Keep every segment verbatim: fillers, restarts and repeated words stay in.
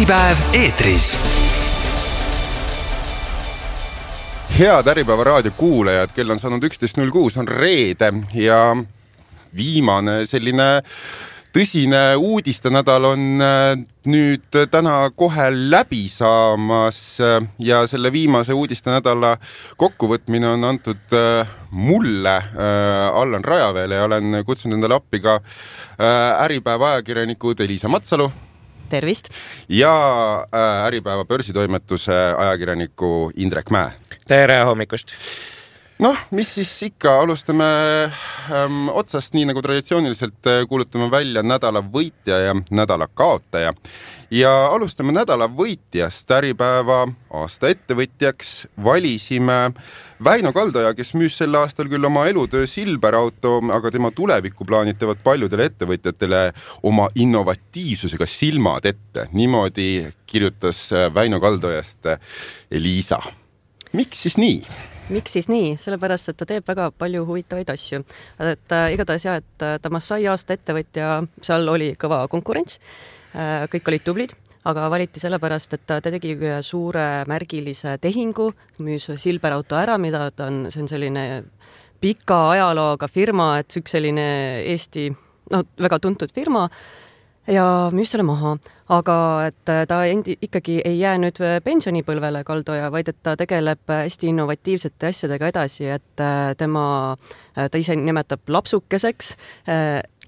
Äripäev eetris. Head Äripäeva raadio kuulajad, kell on saanud üksteist null kuus, on reede ja viimane selline tõsine uudistenädal on nüüd täna kohe läbi saamas ja selle viimase uudistenädala kokkuvõtmine on antud mulle, Allan Rajaveele, ja olen kutsunud endale appi ka Äripäeva ajakirjanikud Elisa Matsalu. Tervist. Ja Äripäeva börsitoimetuse ajakirjaniku Indrek Mäe. Tere hommikust. Noh, mis siis ikka, alustame ähm, otsast, nii nagu traditsiooniliselt kuulutame välja nädala võitja ja nädala kaotaja. Ja alustame nädala võitjast. Äripäeva aasta ettevõtjaks valisime Väino Kaldoja, kes müüs sel aastal küll oma elutöö Silberauto, aga tema tulevikku plaanitavad paljudele ettevõtjatele oma innovatiivsusega silmad ette. Niimoodi kirjutas Väino Kaldojast Elisa. Miks siis nii? Miks siis nii? Sellepärast, et ta teeb väga palju huvitavaid asju. Et äh, igatahes jah, et ta Massai aasta ettevõtja, seal oli kõva konkurents, äh, kõik olid tublid, aga valiti sellepärast, et ta tegi suure märgilise tehingu, müüs Silberauto ära, mida ta on, see on selline pika ajalooga firma, et üks selline Eesti, no väga tuntud firma, ja müüs selle maha, aga et ta endi, ikkagi ei jää nüüd pensionipõlvele Kaldoja, vaid et ta tegeleb hästi innovatiivsete asjadega edasi, et tema, ta ise nimetab lapsukeseks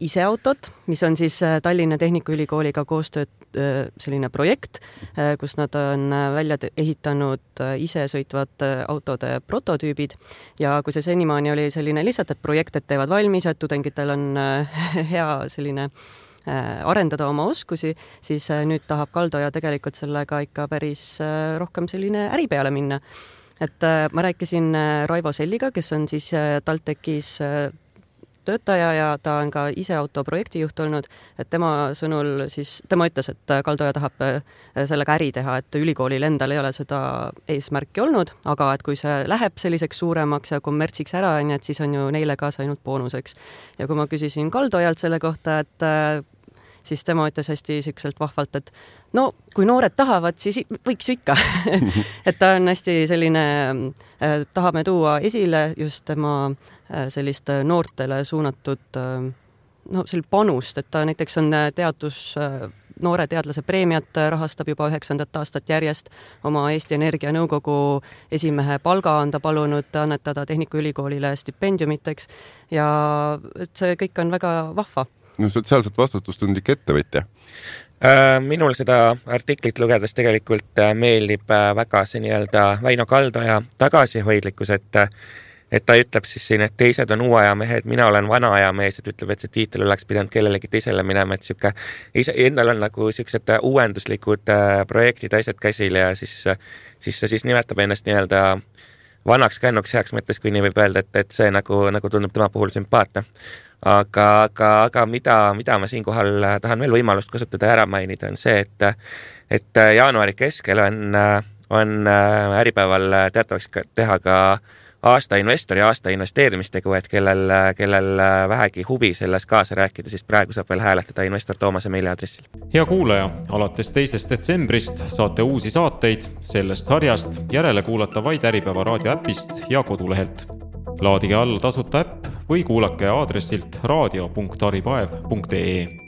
ise autot, mis on siis Tallinna Tehnikaülikooliga koostööd selline projekt, kus nad on välja ehitanud ise sõitvad autode prototüübid ja kui see senimaani oli selline lihtsalt, et projektid teevad valmis, et tudengitel on hea selline arendada oma oskusi, siis nüüd tahab Kaldoja tegelikult sellega ikka päris rohkem selline äri peale minna. Et ma rääkisin Raivo Selliga, kes on siis TalTechis töötaja ja ta on ka ise autoprojekti juht olnud, et tema sõnul siis, tema ütles, et Kaldoja tahab sellega äri teha, et ülikoolil endal ei ole seda eesmärki olnud, aga et kui see läheb selliseks suuremaks ja kommertsiks ära, et siis on ju neile kaasa ainult boonuseks. Ja kui ma küsisin Kaldojalt selle kohta, et siis tema ütles hästi siukselt vahvalt, et no, kui noored tahavad, siis võiks ju ikka. Et ta on hästi selline, tahame tuua esile just tema sellist noortele suunatud no, sel panust, et ta näiteks on teadus, noore teadlase preemiat rahastab juba üheksandat aastat järjest, oma Eesti Energia nõukogu esimehe palga on ta palunud annetada Tehnikaülikoolile stipendiumiteks ja et see kõik on väga vahva. No sotsiaalselt vastutustundlik ettevõtja. Minul seda artiklit lugedes tegelikult meeldib väga see nii-öelda Väino Kaldoja tagasihoidlikkus, et, et ta ütleb siis siin, et teised on uue aja mehed, mina olen vana aja mees, et ütleb, et see tiitel oleks pidanud kellelegi teisele minema, et siuke, ise, endal on nagu siuksed uuenduslikud projektid, asjad käsil ja siis, siis see siis nimetab ennast nii-öelda vanaks kännuks heaks mõttes, kui nii võib öelda, et, et see nagu, nagu tundub tema puhul sümpaatne. Aga, aga, aga mida, mida ma siinkohal tahan veel võimalust kasutada ära mainida on see, et, et jaanuari keskel on, on Äripäeval teatavaks teha ka aasta investori ja aasta investeerimistegu, et kellel, kellel vähegi huvi selles kaasa rääkida, siis praegu saab veel hääletada investor Toomase meiliaadressil. Hea kuulaja, alates teisest detsembrist saate uusi saateid sellest sarjast järele kuulata vaid Äripäeva raadio äpist ja kodulehelt. Laadige alla tasuta äpp või kuulake aadressilt raadio punkt äripäev punkt ee.